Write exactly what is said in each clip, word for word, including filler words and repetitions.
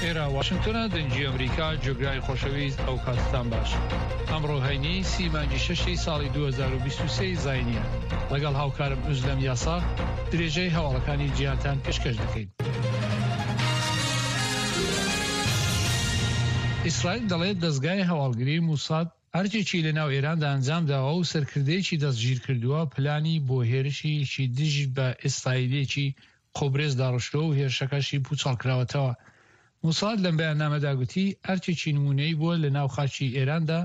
ئێرە واشنگتۆنە، دەنگی ئەمریکا. جۆگرای خۆشەویست، ئەو کاتتان باش. ئەمڕۆ هەینی سی مانگی شەشی ساڵی دوو هەزار و بیست و سێ زاینیە. لەگەڵ هاوکارم ئوزلەم یاسا درێژەی هەواڵەکانی جیهانتان پێشکەش دەکەین. ئیسرائیل دەڵێت دەزگای هەواڵگری موساد ئەرکێکی لەناو ئێراندا ئەنجام داوە و سەرکردەیەکی دەستگیر کردووە، پلانی بۆ هێرشێکی دژ بە ئیسرائیلێکی قوبرس داڕشتووە و هێرشەکەشی پوچەڵ کراوەتەوە. موساد لەم بەیاننامەدا گوتی ئەرکێکی نمونەی بووە لە ناو خاکی ئێراندا.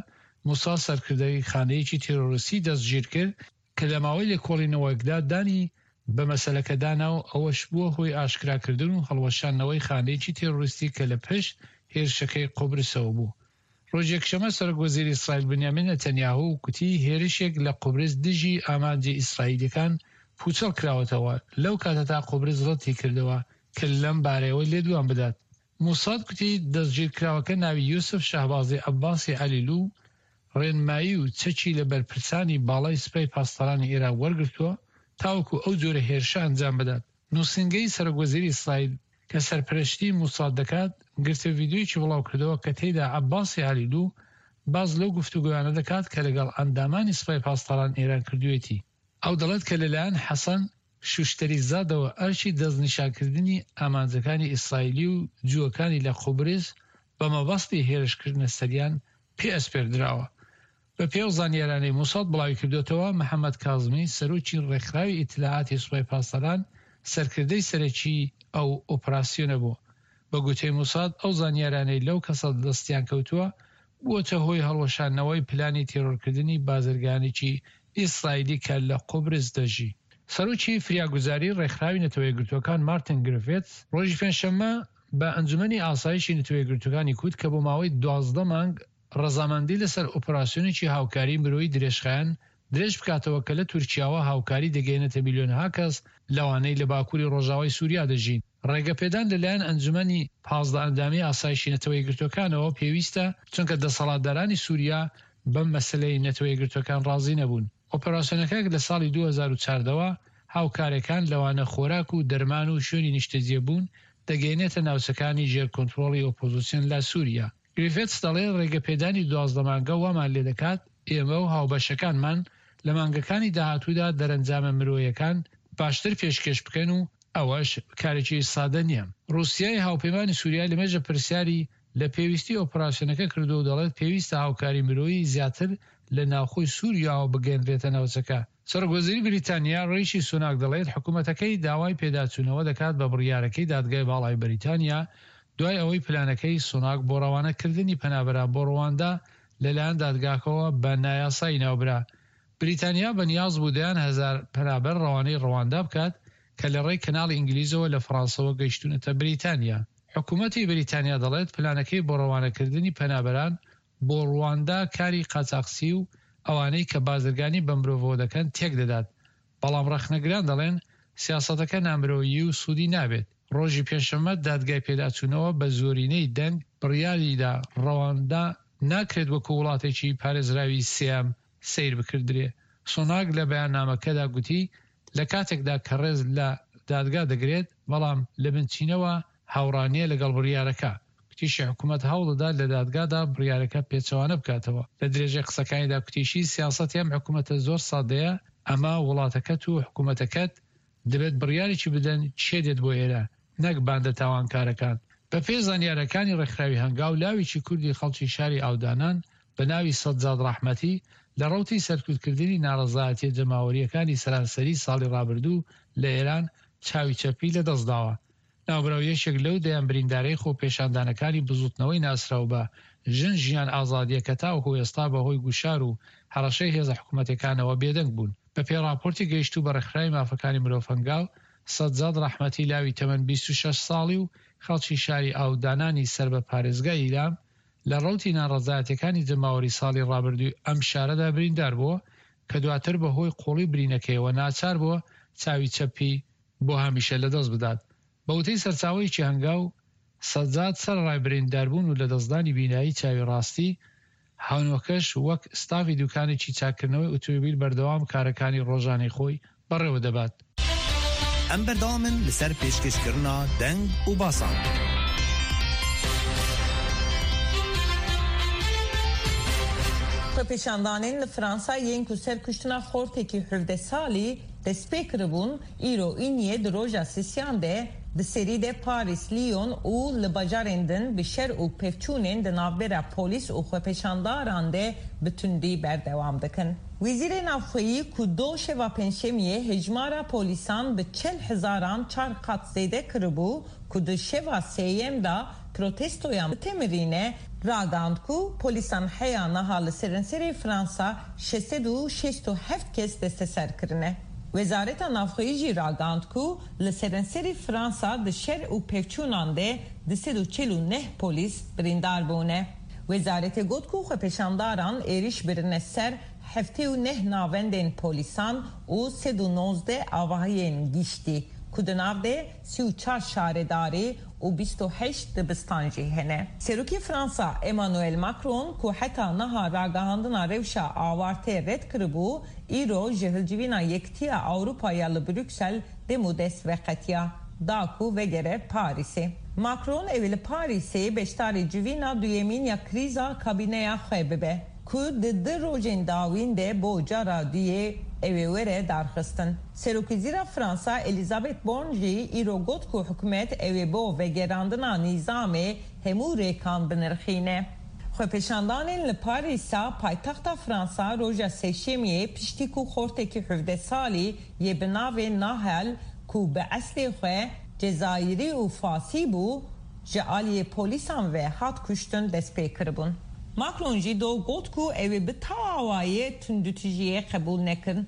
موساد سەرکردەی خانەیەکی تیرۆریستی دەستگیر کرد کە لە ماوەی لێکۆڵینەوەکدا دانی بە مەسەلەکەدانا و ئەوەش بووە هۆی ئاشکراکردن و هەڵوەشاندنەوەی خانەیەکی تیرۆریستی کە لە پشت هێرشەکەی قوبرسەوە بوو. ڕۆژی یەکشەممە سەرۆک وەزیری ئیسرائیل بنیامین نەتەنیاهو گوتی هێرشێک لە قوبرس دژی ئامانجی ئیسرائیلەکان پوچەڵ کراوەتەوە. لەو کاتەتا قوبرس ڕەتی کردەوە کە لەم بارەیەوە لێدوان بدات. موساد گوتی دەستگیرکراوەکە ناوی یوسف شەهبازی عەباسی عەلیلو، ڕێنمایی و چەکی لە بەرپرسانی باڵای سوپای پاسدارانی ئێران وەرگرتووە تاوەکو ئەو جۆرە هێرشە ئەنجام بدات. نووسنگەی سەرۆک وەزیری ئیسرائیل کە سەرپەرشتی موساد دەکات گرتە ڤیدیۆیەکی بڵاو کردەوە کە تێیدا عەباسی عەلیلو باس لەو گفتوگۆیانە دەکات کە لەگەڵ ئەندامانی سوپای پاسداران ئێران کردوێتی. ئەو دەڵێت کە لەلایەن حەسەن شوشتەری زادەوە ئەرکی دەستنیشانکردنی ئامانجەکانی ئیسرائیلی و جووەکانی لە قوبرس بە مەبەستی هێرشکردنە سەریان پێ ئەسپێردراوە. بە پێی ئەو زانیارانەی موساد بڵاوی کردوێتەوە، محەممەد کازمی، سەرۆکی ڕێکخراوی ئیتلاعاتی سوپای پاسداران، سەرکردەی سەرەکی ئەو ئۆپراسیۆنە بوو. بە گوتەی موساد ئەو زانیارانەی لەو کەسە دەستیان کەوتووە بووەتە هۆی هەڵوەشاندنەوەی پلانی تێرۆرکردنی بازرگانێکی ئیسرائیلی کە لە قوبرس دەژی. سەرۆکی فریاگوزاری ڕێکخراوی نەتەوە یەکگرتووەکان مارتن گرفێتس ڕۆژی پێنجشەممە بە ئەنجومەنی ئاسایشی نەتەوە یەکگرتووەکانی کوت کە بۆ ماوەی دوازدە مانگ ڕەزامەندی لەسەر ئۆپراسیۆنێکی هاوکاری مرۆیی درێژخایەن درێژ بکاتەوە کە لە تورکیاوە هاوکاری دەگەێنێتە میلیۆنها کەس لەوانەی لە باکووری ڕۆژاوای سووریا دەژین. ڕێگەپێدان لەلایەن ئەنجومەنی پازدە ئەندامی ئاسایشی نەتەوە یەکگرتووەکانەوە پێویستە، چونکە دەسەڵاتدارانی سووریا بەم مەسلەی نەتەوە یەکگرتووەکان ڕازی نەبوون. ئۆپەراسیۆنەکە لە ساڵی دوو هەزار و چواردە هاوکارەکان، لەوانە خۆراک و دەرمان و شوێنی نیشتەجێبوون، دەگەێنێتە ناوچەکانی ژێر کۆنترۆڵی ئۆپۆزیسیۆن لە سووریا. گریفێتس دەڵێ ڕێگەپێدانی دوازدە مانگە وامان لێ دەکات ئێمە و هاوبەشەکانمان لە مانگەکانی داهاتوودا دەرەنجامە مرۆیەکان باشتر پێشکەش بکەن و ئەوەش کارێکی سادە نییە. رووسیای هاوپەیمانی سووریا لەمێژە پرسیاری لە پێویستی ئۆپراسیۆنەکە کردو و دەڵێت پێویستە هاوکاری مرۆیی زیاتر لە ناوخۆی سووریاوە بگەنرێتە ناوچەکە. سەرۆک وەزیری بریتانیا ڕیشی سوناک دەڵێت حکوومەتەکەی داوای پێداچوونەوە دەکات بە بڕیارەکەی دادگای باڵای بەریتانیا، دوای ئەوەی پلانەکەی سوناک بۆ ڕەوانەکردنی پەنابەران بۆ ڕواندا لەلایەن دادگاکەوە بە نایاسایی ناوبرا. بریتانیا بەنیاز بوو دەیان هەزار پەنابەر ڕەوانەی ڕواندا بکات کە لە ڕێی کەناڵی ئینگلیزەوە لە فەڕانسەوە گەیشتونەتە بریتانیا. حکوومەتی بریتانیا دەڵێت پلانەکەی بۆ ڕەوانەکردنی پەنابەران بۆ ڕواندا کاری قاچاقچی و ئەوانەی کە بازرگانی بە مرۆڤەوە دەکەن تێک دەدات، بەڵام ڕەخنەگران دەڵێن سیاسەتەکە نامرۆیی و سوودی نابێت. ڕۆژی پێنجشەممە دادگای پێداچوونەوە بە زۆرینەی دەنگ بڕیاریدا ڕەواندا ناکرێت وەکو وڵاتێکی پارێزراوی سێیەم سەیر بکردرێ. سۆناگ لە بەیاننامەکەدا گوتی لە کاتێکدا کە ڕێز لە دادگا دەگرێت، بەڵام لە بنچینەوە هاوڕانیە لەگەڵ بڕیارەکە. کوتیشی حکوومەت هەوڵدەدات لە دادگادا بڕیارەکە پێچەوانە بکاتەوە. لە درێژەی قسەکانیدا کوتیشی سیاسەتی ئەم حکوومەتە زۆر سادەیە، ئەمە وڵاتەکەت و حکوومەتەکەت دەبێت بڕیارێکی بدەن چێ دێت بۆ ئێرە، نەک باندە تاوانکارەکان. بە پێی زانیارەکانی ڕێکخراوی هەنگاو، لاوێکی کوردی خەڵکی شاری ئاودانان بە ناوی سەجاد ڕەحمەتی لە ڕەوتی سەرکوتکردنی ناڕەزایەتیە جەماوەریەکانی سەرانسەری ساڵی ڕابردوو لە ئێران چاوی چەپی لەدەستداوە. ناوبراو یەکێک لەو دەیان بریندارەی خۆپێشاندانەکانی بزوتنەوەی ناسراو بە ژن ژیان ئازادیە کە تاوەکو ئێستا بەهۆی گوشار و هەڕەشەی هێزە حکوومەتەکانەوە بێدەنگ بوون. بە پێی راپۆرتی گەیشتوو بە ڕێکخراوی مافەکانی مرۆڤ هەنگاو، سەجاد ڕەحمەتی لاوی تەمەن بیست و شەش ساڵی و خەڵکی شاری ئاودانانی سەر بە پارێزگای ئیلام لە ڕەوتی ناڕەزایەتیەکانی جەماوەری ساڵی ڕابردووی ئەم شارەدا بریندار بووە کە دواتر بە هۆی قوڵی برینەکەیەوە ناچار بووە چاوی چەپی بۆ هەمیشە لەدەست بدات. بە وتەی سەرچاوەیەکی هەنگاو، سەجاد سەرەڕای برینداربوون و لەدەستدانی بینایی چاوی ڕاستی، هەنووکەش وەک ستافی دوکانێکی چاککردنەوەی ئۆتۆمبیل بەردەوام کارەکانی ڕۆژانەی خۆی بەڕێوە دەبات. ئەم بەردەوامن لەسەر پێشکەشکردنا دەنگ و باسان. Xwepêşandanên li Fransa yên ku ser kuştina xortekî hevdeh salî dest pê kiribûn, îro îniyê di roja sisiyan de di serî de Parîs, Lyon û li bajarên din bi şer û pevçûnên di navbera polîs û xwepêşandaran de bi tundî berdewam dikin. Wezîrê Navxweyî ku do şeva pêncşemiyê hejmara polîsan bi çel hezaran çar qat zêde kiribû ku di şeva sêyem da protestoyan bitemirîne, ragihand ku polîsan heya niha li seranserê Fransa şeş sed û şêst û heft kes desteser kirine. Wezareta Navxweyî jî ragihand ku li seranserê Fransa di şer û pevçûnan de du sed û çel û neh polîs birîndar bûne. Wezaretê got ku xwepêşandaran êriş birine ser heftê û neh navendên polîsan û sed û nozdeh avahiyên giştî ku di nav de sî û çar şaredarî û bîst û heşt dibistan jî hene. Serokê Fransa Emmanuel Macron ku heta niha ragihandina rewşa awartê red kiribû, îro ji hilcivîna Yekitiya Ewropa ya li Brüksel dem û dest veqetiya da ku vegere Parîsê. Macron ew ê li Parîsê beşdarî civîna duyemîn ya krîza kabîneya xwe bibe ku di du rojên dawîn de bo cara duyê ew ê were darxistin. Serokwezîra Fransa Elizabeth Borne jî îro got ku hikûmet ew ê bo vegerandina nîzamê hemû rêkan binirxîne. Xwepêşandanên li Parîsa paytexta Fransa roja sêşemiyê piştî ku xortekî hevdeh salî yê bi navê Nahel ku bi eslê xwe Cezayirî û Fasî bû ji aliyê polîsan ve hat kuştin dest pê kiribûn. Macron jî do got ku ew ê bi tawayê tundûtûjiyê qebûl nekin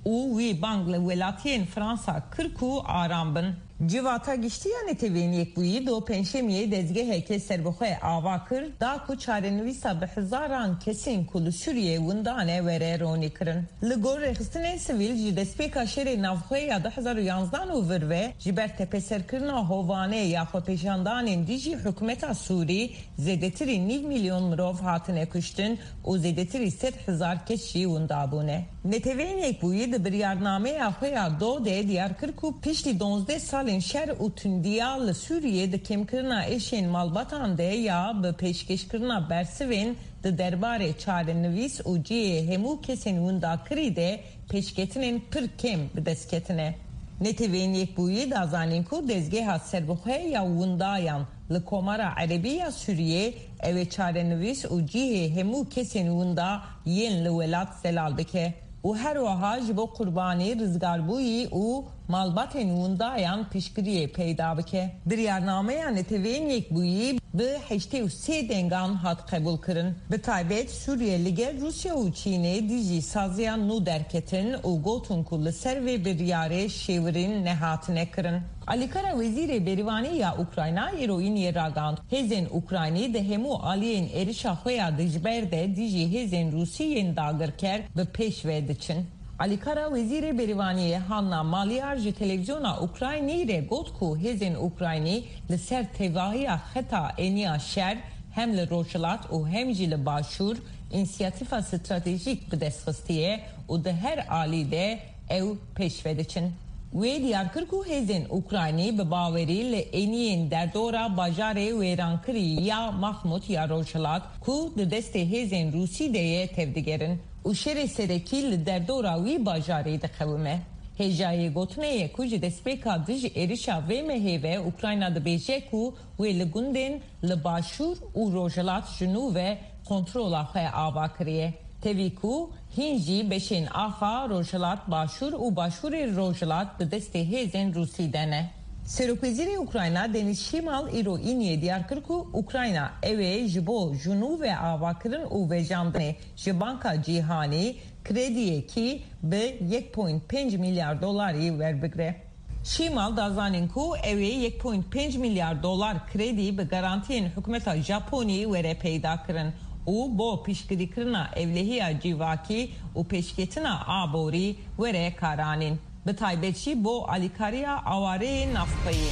û wî bang li welatiyên Fransa kir ku aram bin. Civata Giştî ya Neteweyên Yekbûyî do pêncşemiyê dezgehekê serbixwe ava kir da ku çarenivîsa bi hezaran kesên ku li Sûriyeyê windane were ronî kirin. Li gor rêxistinên sivîl ji destpêka şerê navxwe ya du hezar û yanzdan û vir ve ji ber tepeserkirina hovanê ya xwepêşandanên dijî hikûmeta Sûrî zêdetirî nîv milyon mirov hatine kuştin û zêdetirî sed hezar kes jî winda bûne. Neteweyên Yekbûyî di biryarnameya xwe ya do de diyar kir ku piştî duwazdeh salên şer û tundiya li Sûriyê di kêmkirina êşên malbatan de ya bi pêşkêşkirina bersivên di derbarê çarenivîs û cihê hemû kesên windakirî de pêşketinên pir kêm bi dest ketine. Neteweyên Yekbûyî da zanîn ku dezgeha serbixwe ya windayan li Komara Erebî ya Sûriyê ew ê çarenivîs û cihê hemû kesên winda yên li welat zelal bike û her wiha ji bo qurbanî rizgarbûyî û malbatên windayan piştgiriyê peyda bike. Biryarnameya Neteweyên Yekbûyî bi heştê û sê dengan hat qebûlkirin. Bi taybet Sûriye li gel Rûsya û Çînê dijî saziya nû derketin û gotin ku li ser vê biryarê şêwirîn nehatine kirin. Alîkara Wezîrê Berîvanî ya Ukrayna îro îniyê ragihand. Hêzên Ukraynî di hemû aliyên êrişa xwe ya dijber de dijî hêzên Rûsî yên dagirker bi pêş ve diçin. Alîkara Wezîrê Berîvaniyê Hanna Maliar ji televizyona Ukraynî re got ku hêzên Ukraynî li ser tevahiya xeta eniya şer hem li Rojhilat û hem jî li Başûr înisiyatîfa stratejîk bi dest xistiye û di her alî de ew pêş ve diçin. Wê diyar kir ku hêzên Ukraynî bi bawerî li eniyên derdora bajarê wêrankirî ya Mahmut ya Rojhilat ku di destê hêzên Rûsî de ye tevdigerin û şerê serekî li derdora wî bajarê diqewime. Hêjayê gotinê ye ku ji destpêka dij êrişa vê mehê ve Ukrayna dibêje ku wê li gundên li Başûr û Rojhilat ji nû ve kontrola xwe ava kiriye. Tevî ku hîn jî beşên axa Rojhilat Başûr û Başûrê Rojhilat di destê hêzên Rûsî de ne. Serokwezîrê Ukrayna Denis Şimal îro îniyê diyar kir ku Ukrayna ew ê ji bo ji nû ve avakirin û vejandinê ji Banka Cîhanî krediyekî bi yek point pênc milyar dolarî werbigre. Şimal da zanîn ku ew ê yek point pênc milyar dolar kredî bi garantiyên hikûmeta Japonî were peyda kirin û bo piştgirîkirina evlehiya civakî û pêşketina aborî were karanîn. Bi taybet jî bo alîkariya awareyên navxweyî.